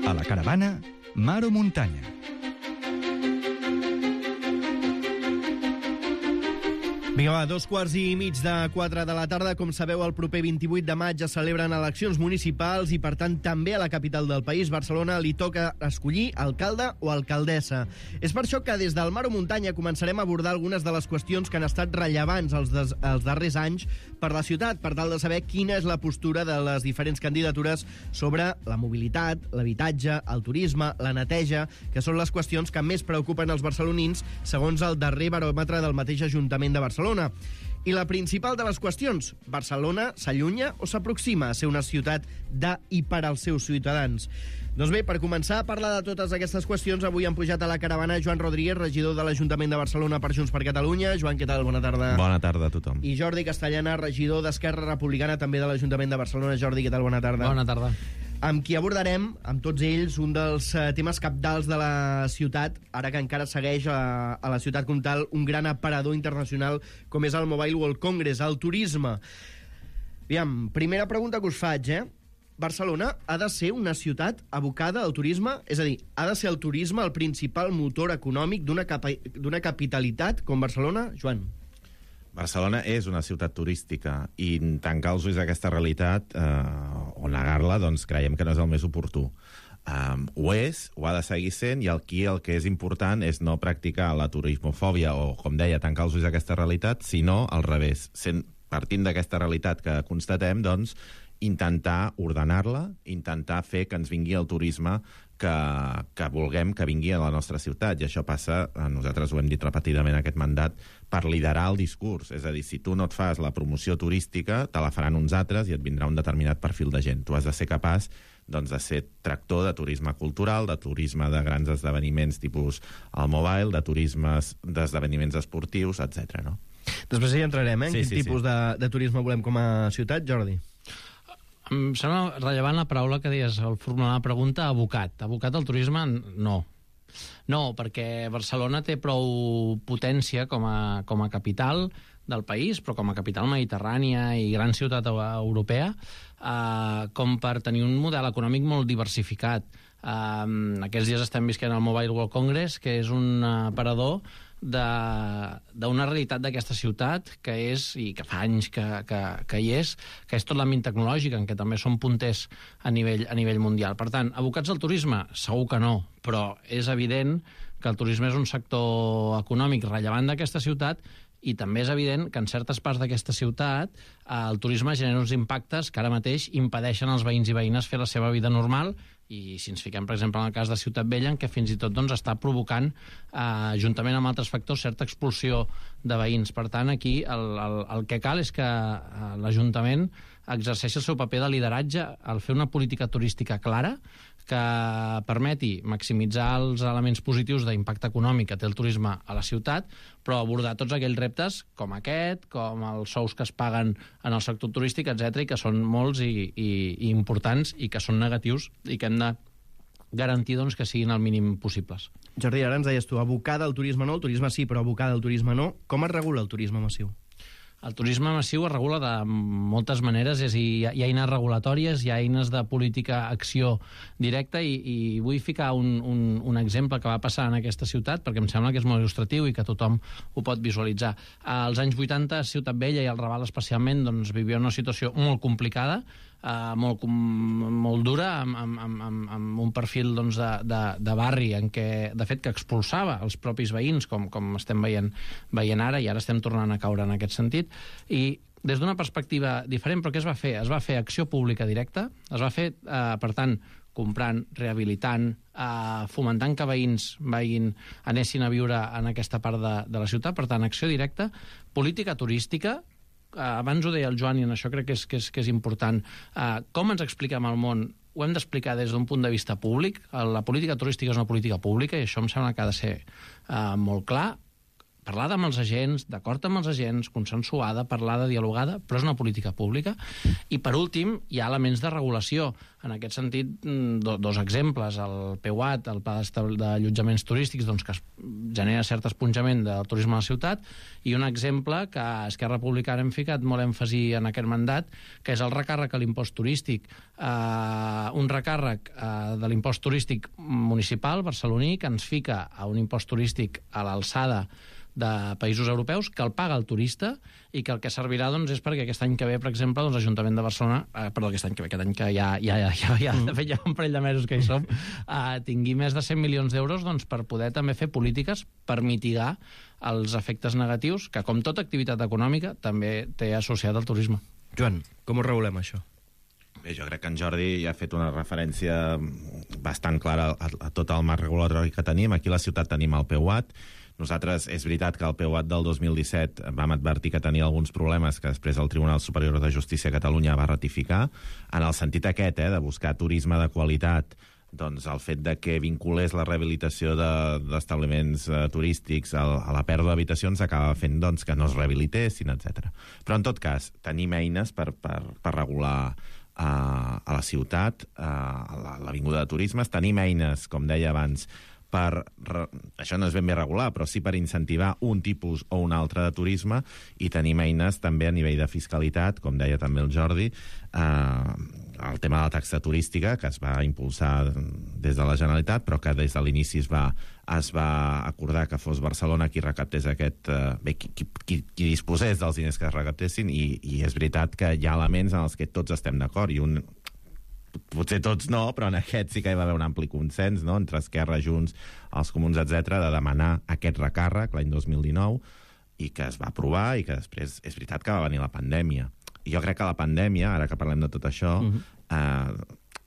A la caravana, mar o muntanya. Vinga, va, 3:15 de la tarda. Com sabeu, el proper 28 de maig es celebren eleccions municipals i, per tant, també a la capital del país, Barcelona, li toca escollir alcalde o alcaldessa. És per això que des del Mar o Muntanya començarem a abordar algunes de les qüestions que han estat rellevants els darrers anys per la ciutat, per tal de saber quina és la postura de les diferents candidatures sobre la mobilitat, l'habitatge, el turisme, la neteja, que són les qüestions que més preocupen els barcelonins, segons el darrer baròmetre del mateix Ajuntament de Barcelona. I la principal de les qüestions, Barcelona s'allunya o s'aproxima a ser una ciutat de i per als seus ciutadans? Doncs bé, per començar a parlar de totes aquestes qüestions, avui han pujat a la caravana Joan Rodríguez, regidor de l'Ajuntament de Barcelona per Junts per Catalunya. Joan, què tal? Bona tarda. Bona tarda a tothom. I Jordi Castellana, regidor d'Esquerra Republicana, també de l'Ajuntament de Barcelona. Jordi, què tal? Bona tarda. Bona tarda. Amb qui abordarem, amb tots ells, un dels temes cabdals de la ciutat, ara que encara segueix a la ciutat com tal un gran aparador internacional com és el Mobile World Congress, el turisme. Aviam, primera pregunta que us faig, Barcelona ha de ser una ciutat abocada al turisme? És a dir, ha de ser el turisme el principal motor econòmic d'una capitalitat com Barcelona? Joan. Barcelona és una ciutat turística i tancar els ulls a aquesta realitat o negar-la, doncs creiem que no és el més oportú. Ho és, ho ha de seguir sent, i aquí el que és important és no practicar la turismofòbia o, com deia, tancar els ulls a aquesta realitat, sinó al revés. Partint d'aquesta realitat que constatem, doncs, intentar ordenar-la, intentar fer que ens vingui el turisme que vulguem que vingui a la nostra ciutat, i això passa, nosaltres ho hem dit repetidament aquest mandat, per liderar el discurs. És a dir, si tu no et fas la promoció turística, te la faran uns altres i et vindrà un determinat perfil de gent. Tu has de ser capaç, doncs, de ser tractor de turisme cultural, de turisme de grans esdeveniments tipus el Mobile, de turismes d'esdeveniments esportius, etc. No? Després hi entrarem, en quin tipus de turisme volem com a ciutat, Jordi? Em sembla rellevant la paraula que deies al formular la pregunta, abocat. Abocat al turisme, no. No, perquè Barcelona té prou potència com a capital del país, però com a capital mediterrània i gran ciutat europea, com per tenir un model econòmic molt diversificat. Aquests dies estem visquent al Mobile World Congress, que és un aparador d'una realitat d'aquesta ciutat que és, i que fa anys que hi és, que és tot l'àmbit tecnològic, en què també som punters a nivell mundial. Per tant, abocats al turisme? Segur que no, però és evident que el turisme és un sector econòmic rellevant d'aquesta ciutat, i també és evident que en certes parts d'aquesta ciutat el turisme genera uns impactes que ara mateix impedeixen als veïns i veïnes fer la seva vida normal, i si ens fiquem, per exemple, en el cas de Ciutat Vella, en què fins i tot està provocant, juntament amb altres factors, certa expulsió de veïns. Per tant, aquí el que cal és que l'Ajuntament exerceixi el seu paper de lideratge al fer una política turística clara que permeti maximitzar els elements positius d'impacte econòmic que té el turisme a la ciutat, però abordar tots aquells reptes com aquest, com els sous que es paguen en el sector turístic, etc., i que són molts i importants i que són negatius i que hem de garantir, doncs, que siguin el mínim possibles. Jordi, ara ens deies tu, abocada al turisme no, el turisme sí, però abocada al turisme no. Com es regula el turisme massiu? El turisme massiu es regula de moltes maneres, és a dir, hi ha eines regulatòries, hi ha eines de política acció directa, i vull ficar un exemple que va passar en aquesta ciutat, perquè em sembla que és molt il·lustratiu i que tothom ho pot visualitzar. Als anys 80, Ciutat Vella i el Raval especialment, doncs, vivia una situació molt complicada, molt dura, amb un perfil, doncs, de barri en què, de fet, que expulsava els propis veïns, com estem veient ara, i ara estem tornant a caure en aquest sentit. I des d'una perspectiva diferent, però què es va fer? Es va fer acció pública directa, es va fer, per tant, comprant, rehabilitant, fomentant que veïns anessin a viure en aquesta part de la ciutat, per tant, acció directa, política turística. Abans ho deia el Joan, i en això crec que és important. Com ens expliquem al món? Ho hem d'explicar des d'un punt de vista públic. La política turística és una política pública, i això em sembla que ha de ser molt clar. parlada amb els agents, d'acord amb els agents, consensuada, parlada, dialogada, però és una política pública. I, per últim, hi ha elements de regulació. En aquest sentit, dos exemples. El PEUAT, el Pla d'Allotjaments Turístics, doncs, que genera cert esponjament del turisme a la ciutat, i un exemple que a Esquerra Republicana hem ficat molt èmfasi en aquest mandat, que és el recàrrec a l'impost turístic. Un recàrrec de l'impost turístic municipal, barceloní, que ens fica a un impost turístic a l'alçada de països europeus, que el paga el turista i que el que servirà doncs, és perquè aquest any que ve, per exemple, doncs, l'Ajuntament de Barcelona, aquest any que de fet ja un parell de mesos que hi som, tingui més de 100 milions d'euros doncs, per poder també fer polítiques per mitigar els efectes negatius que, com tota activitat econòmica, també té associat al turisme. Joan, com ho regulem, això? Bé, jo crec que en Jordi ja ha fet una referència bastant clara a tot el marc regulatori que tenim. Aquí a la ciutat tenim el PEUAT. Nosaltres, és veritat que el PEUAT del 2017 vam advertir que tenia alguns problemes que després el Tribunal Superior de Justícia de Catalunya va ratificar, en el sentit aquest, de buscar turisme de qualitat. Doncs el fet de que vinculés la rehabilitació d'establiments turístics a la pèrdua d'habitacions acaba fent doncs, que no es rehabilitessin, etc. Però, en tot cas, tenim eines per regular a la ciutat, a l'Avinguda de Turismes. Tenim eines, com deia abans, això no és ben bé regular, però sí per incentivar un tipus o un altre de turisme, i tenim eines també a nivell de fiscalitat, com deia també el Jordi, el tema de la taxa turística, que es va impulsar des de la Generalitat, però que des de l'inici es va acordar que fos Barcelona qui recaptés qui disposés dels diners que es recaptessin, i és veritat que hi ha elements en els que tots estem d'acord, i potser tots no, però en aquest sí que hi va haver un ampli consens, no?, entre Esquerra, Junts, els Comuns, etc., de demanar aquest recàrrec l'any 2019, i que es va aprovar, i que després és veritat que va venir la pandèmia. I jo crec que la pandèmia, ara que parlem de tot això,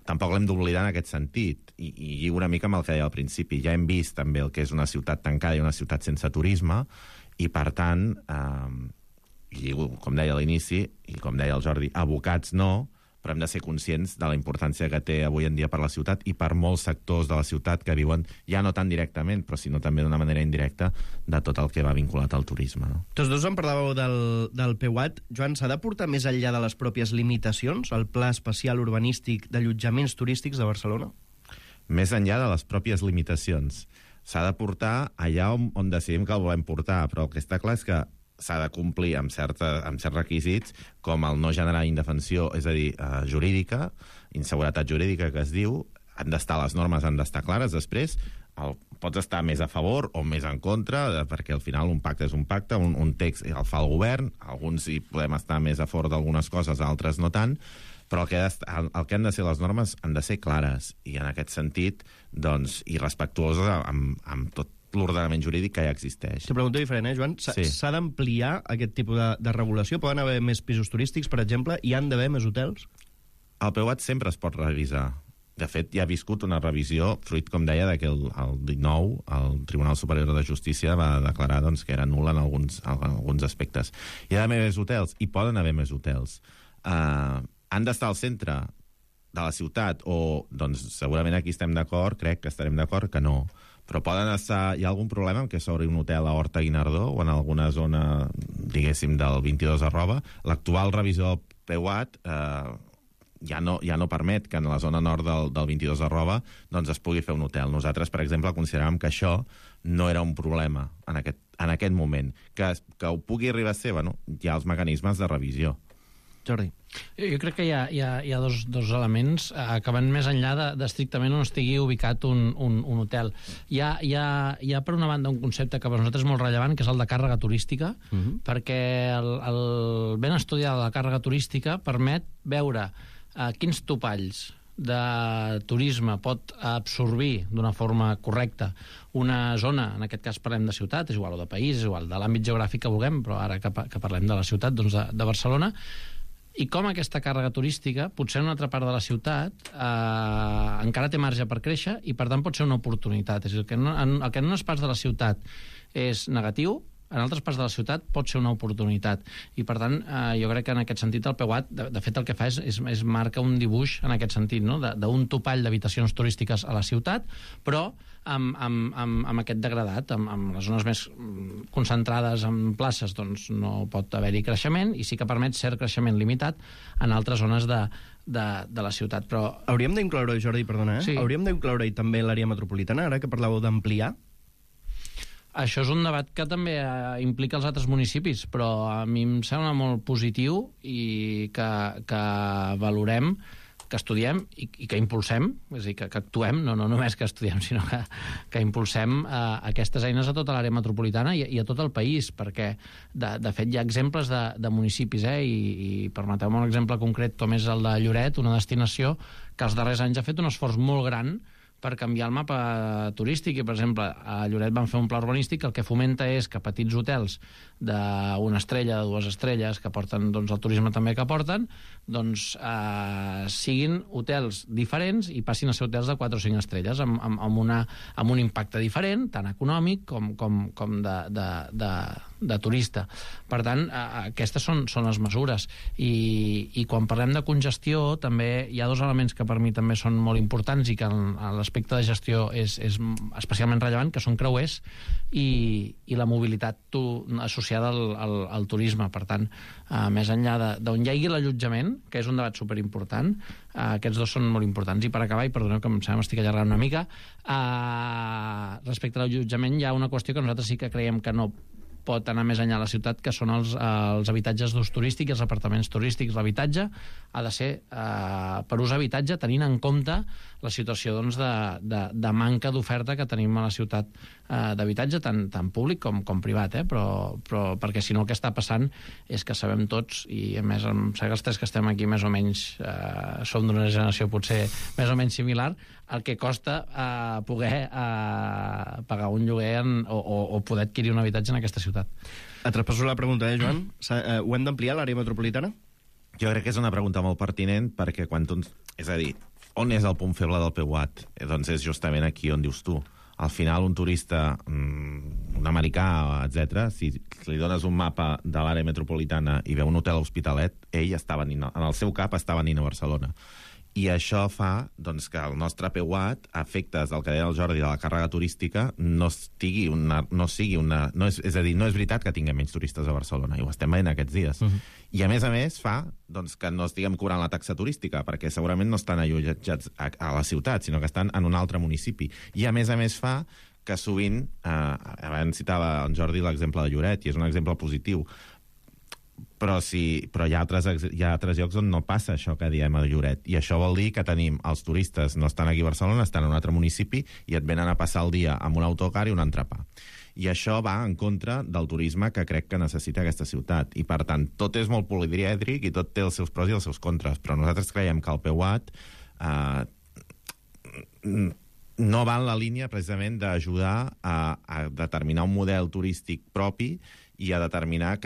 tampoc l'hem d'oblidar en aquest sentit, i lligo una mica amb el que deia al principi. Ja hem vist també el que és una ciutat tancada i una ciutat sense turisme, i per tant, lligo, com deia a l'inici, i com deia el Jordi, abocats no, però hem de ser conscients de la importància que té avui en dia per la ciutat i per molts sectors de la ciutat que viuen, ja no tan directament, però sinó també d'una manera indirecta, de tot el que va vinculat al turisme. No? Tots dos en parlàveu del PEUAT. Joan, s'ha de portar més enllà de les pròpies limitacions el Pla Especial Urbanístic d'Allotjaments Turístics de Barcelona? Més enllà de les pròpies limitacions. S'ha de portar allà on decidim que el volem portar, però el que està clar és que s'ha de complir amb certs requisits, com el no generar indefensió, és a dir, jurídica, inseguretat jurídica, que es diu. Les normes han d'estar clares. Després pots estar més a favor o més en contra, perquè al final un pacte és un pacte, un text el fa el govern, alguns hi podem estar més a favor d'algunes coses, altres no tant, però el que han de ser les normes han de ser clares, i en aquest sentit, doncs, i respectuoses amb tot l'ordenament jurídic que ja existeix. Te pregunto diferent, Joan? S'ha d'ampliar aquest tipus de regulació? Poden haver més pisos turístics, per exemple? Hi han d'haver més hotels? El PEUAT sempre es pot revisar. De fet, ja ha viscut una revisió, fruit, com deia, que el 19 el Tribunal Superior de Justícia va declarar doncs, que era nul en alguns aspectes. Hi ha d'haver més hotels? Hi poden haver més hotels. Han d'estar al centre de la ciutat? O, doncs, segurament aquí estem d'acord, crec que estarem d'acord que no. Però hi ha algun problema en què s'obri un hotel a Horta-Guinardó o en alguna zona, diguéssim, del 22 @? L'actual revisió del PEUAT ja no permet que en la zona nord del 22 doncs es pugui fer un hotel. Nosaltres, per exemple, consideràvem que això no era un problema en aquest moment. Que ho pugui arribar a ser, hi ha els mecanismes de revisió. Jordi. Jo crec que hi ha dos elements que van més enllà d'estrictament on estigui ubicat un hotel. Hi ha, per una banda, un concepte que per nosaltres és molt rellevant, que és el de càrrega turística, perquè el ben estudiar la càrrega turística permet veure quins topalls de turisme pot absorbir d'una forma correcta una zona, en aquest cas parlem de ciutat, és igual, o de país, és igual, de l'àmbit geogràfic que vulguem, però ara que parlem de la ciutat, doncs de Barcelona, i com aquesta càrrega turística, potser en una altra part de la ciutat, encara té marge per créixer i, per tant, pot ser una oportunitat. És a dir, el que en unes parts de la ciutat és negatiu, en altres parts de la ciutat pot ser una oportunitat. I, per tant, jo crec que en aquest sentit el PEUAT, de fet, el que fa és marca un dibuix en aquest sentit, no? D'un topall d'habitacions turístiques a la ciutat, però amb aquest degradat, amb les zones més concentrades en places, doncs no pot haver-hi creixement, i sí que permet cert creixement limitat en altres zones de la ciutat. Però hauríem d'incloure, Jordi, perdona, Sí. hauríem d'incloure també l'àrea metropolitana, ara que parlàveu d'ampliar? això és un debat que també implica els altres municipis, però a mi em sembla molt positiu i que valorem, que estudiem i que impulsem, és a dir, que actuem, no només que estudiem, sinó que impulsem aquestes eines a tota l'àrea metropolitana i a tot el país, perquè, de fet, hi ha exemples de municipis, i permeteu-me un exemple concret, com és el de Lloret, una destinació que els darrers anys ha fet un esforç molt gran per canviar el mapa turístic, i, per exemple, a Lloret van fer un pla urbanístic que el que fomenta és que petits hotels d'una estrella, de 2 estrelles, que porten doncs, el turisme també que porten, doncs siguin hotels diferents i passin a ser hotels de 4 o 5 estrelles, amb un impacte diferent, tant econòmic com de turista. Per tant, aquestes són les mesures. I quan parlem de congestió, també hi ha 2 elements que per mi també són molt importants i que a l'aspecte de gestió és especialment rellevant, que són creuers i la mobilitat associada al turisme. Per tant, més enllà d'on hi hagi l'allotjament, que és un debat superimportant, aquests 2 són molt importants. I per acabar, i perdoneu que em sembla m'estic allargant una mica, respecte a l'allotjament hi ha una qüestió que nosaltres sí que creiem que no pot anar més enllà a la ciutat, que són els habitatges d'ús turístic i els apartaments turístics. L'habitatge ha de ser per ús habitatge, tenint en compte la situació doncs, de manca d'oferta que tenim a la ciutat d'habitatge, tant públic com privat, però perquè si no el que està passant és que sabem tots, i a més em sembla que els 3 que estem aquí més o menys som d'una generació potser més o menys similar, el que costa poder pagar un lloguer o poder adquirir un habitatge en aquesta ciutat. Et traspasso la pregunta, Joan? Ho hem d'ampliar, l'àrea metropolitana? Jo crec que és una pregunta molt pertinent, perquè quan tu... És a dir, on és el punt feble del PEUAT? Doncs és justament aquí on dius tu. Al final, un turista, un americà, etc., si li dones un mapa de l'àrea metropolitana i veu un hotel a Hospitalet, ell està venint, en el seu cap està venint a Barcelona. I això fa doncs, que el nostre PEUAT, a efectes del que deia el Jordi de la càrrega turística, és a dir, no és veritat que tinguem menys turistes a Barcelona, i ho estem veient aquests dies. I a més fa doncs, que no estiguem cobrant la taxa turística, perquè segurament no estan allotjats a la ciutat, sinó que estan en un altre municipi. I a més fa que sovint, abans citava en Jordi l'exemple de Lloret, i és un exemple positiu, però hi ha altres llocs on no passa això que diem a Lloret, i això vol dir que tenim els turistes no estan aquí a Barcelona, estan en un altre municipi i et venen a passar el dia amb un autocar i un entrepà. I això va en contra del turisme que crec que necessita aquesta ciutat. I, per tant, tot és molt polièdric i tot té els seus pros i els seus contres, però nosaltres creiem que el PEUAT no va en la línia precisament d'ajudar a determinar un model turístic propi i a determinar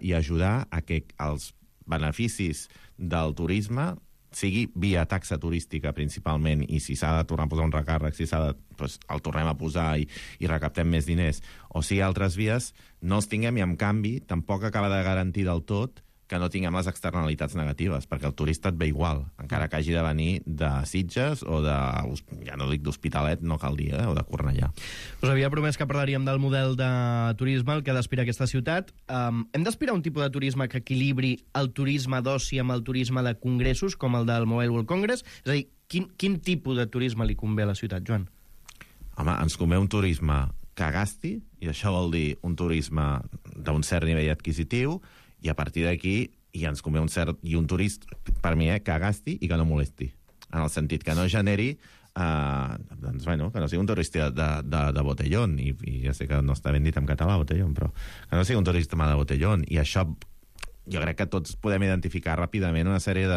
i ajudar a que els beneficis del turisme sigui via taxa turística principalment, i si s'ha de tornar a posar un recàrrec, si s'ha de, doncs el tornem a posar i recaptem més diners, o sigui altres vies, no els tinguem, i en canvi tampoc acaba de garantir del tot que no tinguem les externalitats negatives, perquè el turista et ve igual, encara que hagi de venir de Sitges o ja no dic d'Hospitalet, no cal dir, o de Cornellà. Us havia promès que parlaríem del model de turisme, el que ha d'aspirar aquesta ciutat. Hem d'aspirar un tipus de turisme que equilibri el turisme d'oci amb el turisme de congressos, com el del Mobile World Congress? És a dir, quin tipus de turisme li convé a la ciutat, Joan? Home, ens convé un turisme que gasti, i això vol dir un turisme d'un cert nivell adquisitiu, i a partir d'aquí ens convé un turista, per mi, que gasti i que no molesti, en el sentit que no generi doncs, bueno, que no sigui un turista de botellón, i ja sé que no està ben dit en català botellón, però que no sigui un turista de botellón, i això jo crec que tots podem identificar ràpidament una sèrie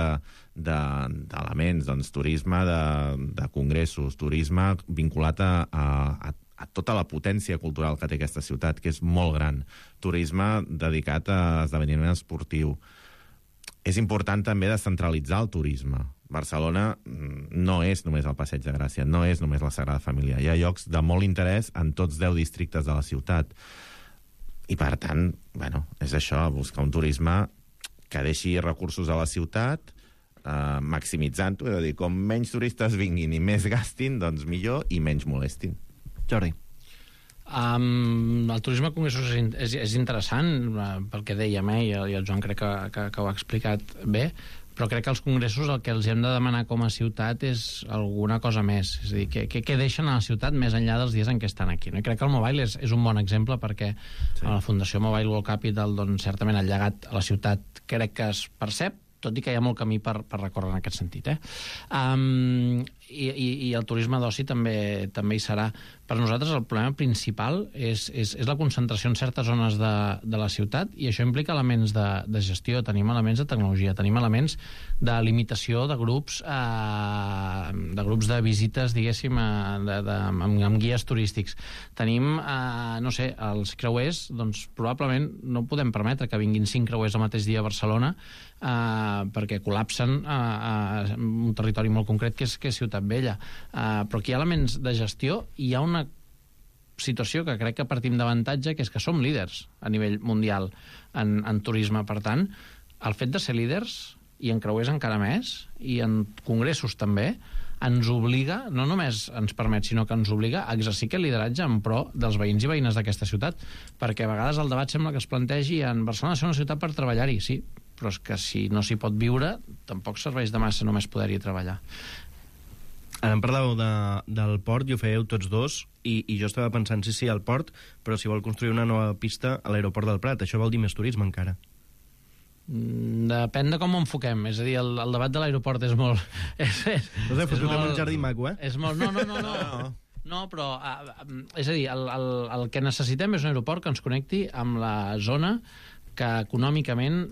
d'elements, doncs turisme de congressos, turisme vinculat a tota la potència cultural que té aquesta ciutat, que és molt gran. Turisme dedicat a esdeveniment esportiu. És important també descentralitzar el turisme. Barcelona no és només el Passeig de Gràcia, no és només la Sagrada Família. Hi ha llocs de molt interès en tots 10 districtes de la ciutat. I, per tant, bueno, és això, buscar un turisme que deixi recursos a la ciutat, maximitzant-ho, és a dir, com menys turistes vinguin i més gastin, doncs millor, i menys molestin. Jordi. El turisme a congressos és interessant, pel que dèiem, i el Joan crec que ho ha explicat bé, però crec que els congressos el que els hem de demanar com a ciutat és alguna cosa més, és a dir, què deixen a la ciutat més enllà dels dies en què estan aquí, no? I crec que el Mobile és un bon exemple, perquè a la Fundació Mobile World Capital, doncs, certament el llegat a la ciutat crec que es percep, tot i que hi ha molt camí per recórrer en aquest sentit. I el turisme d'oci també hi serà. Per nosaltres el problema principal és la concentració en certes zones de la ciutat, i això implica elements de gestió, tenim elements de tecnologia, tenim elements de limitació de grups de visites, diguéssim, amb guies turístics. Tenim, no sé, els creuers, doncs probablement no podem permetre que vinguin 5 creuers al mateix dia a Barcelona, perquè col·lapsen un territori molt concret que és Ciutat Vella. Però aquí hi ha elements de gestió, i hi ha una situació que crec que partim d'avantatge, que és que som líders a nivell mundial en turisme. Per tant, el fet de ser líders, i en creuers encara més, i en congressos també, ens obliga, no només ens permet, sinó que ens obliga a exercir aquest lideratge en pro dels veïns i veïnes d'aquesta ciutat, perquè a vegades el debat sembla que es plantegi en Barcelona ser una ciutat per treballar-hi, sí, però és que si no s'hi pot viure, tampoc serveix de massa només poder-hi treballar. Ara em parlàveu del port, i ho fèieu tots dos, i jo estava pensant, sí, al port, però si vol construir una nova pista a l'aeroport del Prat, això vol dir més turisme encara. Depèn de com ho enfoquem. És a dir, el debat de l'aeroport és molt... Fotem un jardí maco, És molt... No, però... És a dir, el que necessitem és un aeroport que ens connecti amb la zona que econòmicament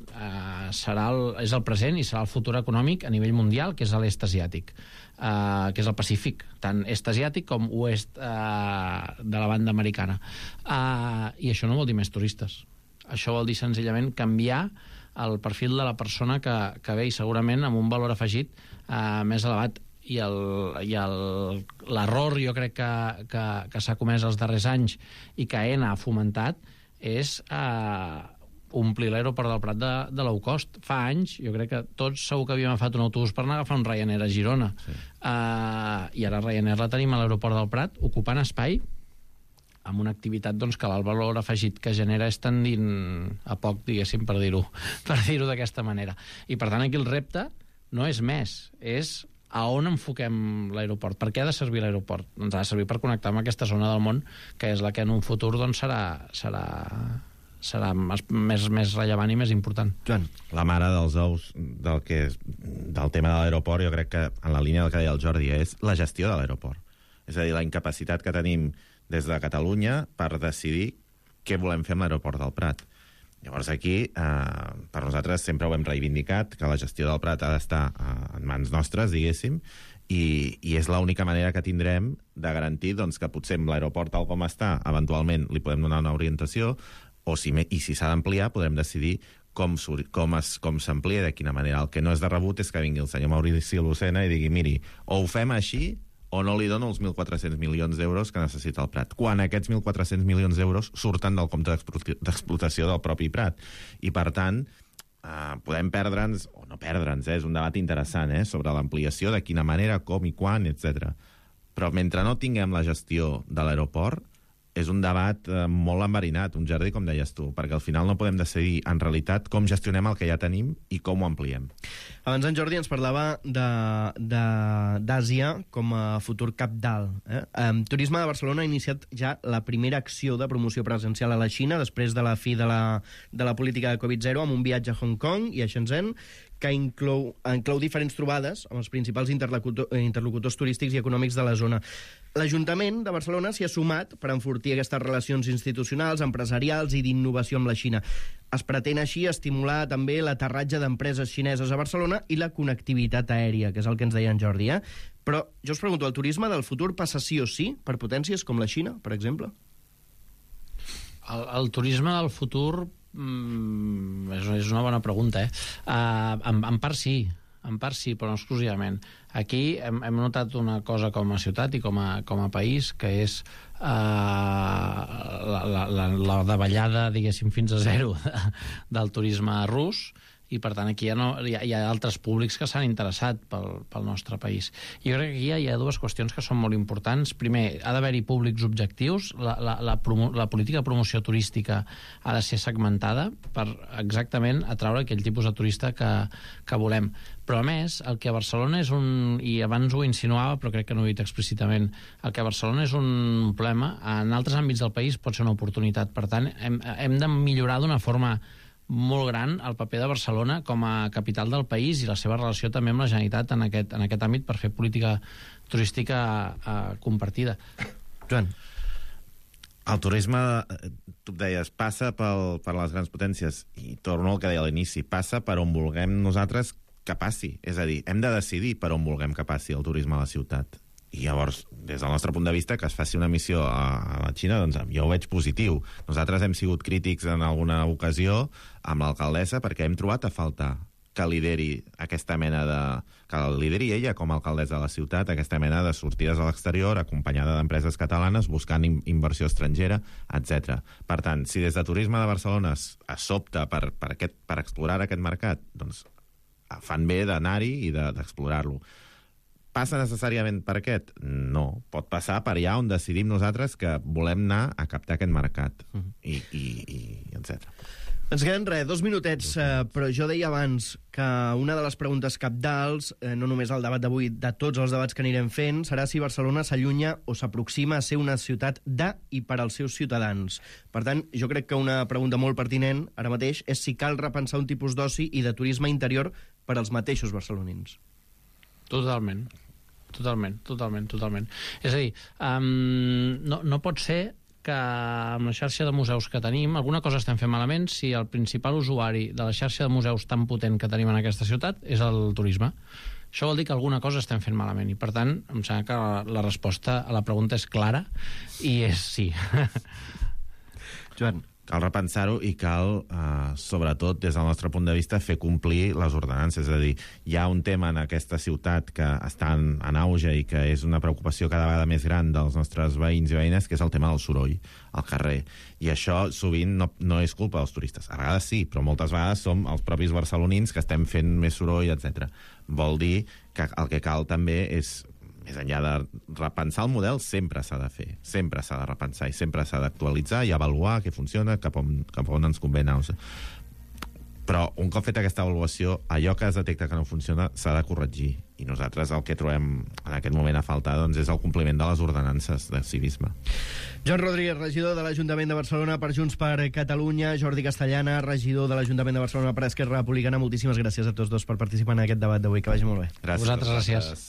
és el present i serà el futur econòmic a nivell mundial, que és l'est asiàtic, que és el Pacífic, tant est asiàtic com oest de la banda americana. I això no vol dir més turistes. Això vol dir senzillament canviar el perfil de la persona que ve, i segurament amb un valor afegit més elevat. I l'error, jo crec que s'ha comès els darrers anys i que Aena ha fomentat, és omplir l'aeroport del Prat de low cost. Fa anys, jo crec que tots segur que havíem agafat un autobús per anar a agafar un Ryanair a Girona. Sí. I ara Ryanair la tenim a l'aeroport del Prat, ocupant espai, amb una activitat doncs, que el valor afegit que genera és tendint a poc, diguéssim, per dir-ho d'aquesta manera. I per tant aquí el repte no és més, és a on enfoquem l'aeroport. Per què ha de servir l'aeroport? Doncs ha de servir per connectar amb aquesta zona del món, que és la que en un futur doncs, serà més rellevant i més important. Joan. La mare dels ous del tema de l'aeroport, jo crec que en la línia del que deia el Jordi, és la gestió de l'aeroport. És a dir, la incapacitat que tenim des de Catalunya per decidir què volem fer amb l'aeroport del Prat. Llavors aquí, per nosaltres sempre ho hem reivindicat, que la gestió del Prat ha d'estar en mans nostres, diguéssim, i és l'única manera que tindrem de garantir doncs, que potser amb l'aeroport tal com està, eventualment li podem donar una orientació, i si s'ha d'ampliar podrem decidir com s'amplia, de quina manera. El que no és de rebut és que vingui el senyor Maurici Lucena i digui, miri, o ho fem així o no li dono els 1.400 milions d'euros que necessita el Prat, quan aquests 1.400 milions d'euros surten del compte d'explotació del propi Prat. I, per tant, podem perdre'ns, o no perdre'ns, és un debat interessant, sobre l'ampliació, de quina manera, com i quan, etc. Però mentre no tinguem la gestió de l'aeroport, és un debat molt enverinat, un jardí, com deies tu, perquè al final no podem decidir, en realitat, com gestionem el que ja tenim i com ho ampliem. Abans en Jordi ens parlava d'Àsia com a futur cabdal. Turisme de Barcelona ha iniciat ja la primera acció de promoció presencial a la Xina després de la fi de la política de Covid-0 amb un viatge a Hong Kong i a Shenzhen, que inclou diferents trobades amb els principals interlocutors turístics i econòmics de la zona. L'Ajuntament de Barcelona s'hi ha sumat per enfortir aquestes relacions institucionals, empresarials i d'innovació amb la Xina. Es pretén així estimular també l'aterratge d'empreses xineses a Barcelona i la connectivitat aèria, que és el que ens deia en Jordi. Però jo us pregunto, el turisme del futur passa sí o sí per potències com la Xina, per exemple? El turisme del futur és una bona pregunta, En part sí. sí, però no exclusivament. Aquí hem notat una cosa com a ciutat i com a país, que és la davallada, diguéssim, fins a zero del turisme rus, i per tant aquí hi ha altres públics que s'han interessat pel nostre país. Jo crec que aquí hi ha dues qüestions que són molt importants. Primer, ha d'haver-hi públics objectius. La política de promoció turística ha de ser segmentada per exactament atraure aquell tipus de turista que volem. Però a més, el que a Barcelona és i abans ho insinuava, però crec que no ho he dit explícitament, el que a Barcelona és un problema, en altres àmbits del país pot ser una oportunitat. Per tant, hem de millorar d'una forma molt gran el paper de Barcelona com a capital del país i la seva relació també amb la Generalitat en aquest àmbit per fer política turística compartida. Joan. El turisme, tu deies, passa per les grans potències, i torno al que deia a l'inici, passa per on vulguem nosaltres que passi. És a dir, hem de decidir per on vulguem que passi el turisme a la ciutat. I llavors, des del nostre punt de vista, que es faci una missió a la Xina, doncs jo ho veig positiu. Nosaltres hem sigut crítics en alguna ocasió amb l'alcaldessa perquè hem trobat a faltar que lideri aquesta mena que lideri ella com a alcaldessa de la ciutat, aquesta mena de sortides a l'exterior acompanyada d'empreses catalanes buscant inversió estrangera, etc. Per tant, si des de Turisme de Barcelona es sobta per explorar aquest mercat, doncs fan bé d'anar-hi i d'explorar-lo. Passa necessàriament per aquest? No. Pot passar per allà on decidim nosaltres que volem anar a captar aquest mercat. I etc. Ens queden 2 minutets, però jo deia abans que una de les preguntes cabdals, no només al debat d'avui, de tots els debats que anirem fent, serà si Barcelona s'allunya o s'aproxima a ser una ciutat de i per als seus ciutadans. Per tant, jo crec que una pregunta molt pertinent ara mateix és si cal repensar un tipus d'oci i de turisme interior per als mateixos barcelonins. Totalment. És a dir, no pot ser que amb la xarxa de museus que tenim alguna cosa estem fent malament si el principal usuari de la xarxa de museus tan potent que tenim en aquesta ciutat és el turisme. Això vol dir que alguna cosa estem fent malament i, per tant, em sembla que la resposta a la pregunta és clara i és sí. Joan. Cal repensar-ho i cal, sobretot, des del nostre punt de vista, fer complir les ordenances. És a dir, hi ha un tema en aquesta ciutat que està en auge i que és una preocupació cada vegada més gran dels nostres veïns i veïnes, que és el tema del soroll al carrer. I això sovint no és culpa dels turistes. A vegades sí, però moltes vegades som els propis barcelonins que estem fent més soroll, etc. Vol dir que el que cal també és, més enllà de repensar el model, sempre s'ha de fer, sempre s'ha de repensar i sempre s'ha d'actualitzar i avaluar què funciona, cap on ens convé anar. Però un cop feta aquesta avaluació, allò que es detecta que no funciona s'ha de corregir. I nosaltres el que trobem en aquest moment a faltar doncs, és el compliment de les ordenances de civisme. Joan Rodríguez, regidor de l'Ajuntament de Barcelona per Junts per Catalunya, Jordi Castellana, regidor de l'Ajuntament de Barcelona per Esquerra Republicana. Moltíssimes gràcies a tots dos per participar en aquest debat d'avui. Que vagi molt bé. Gràcies. A vosaltres, gràcies.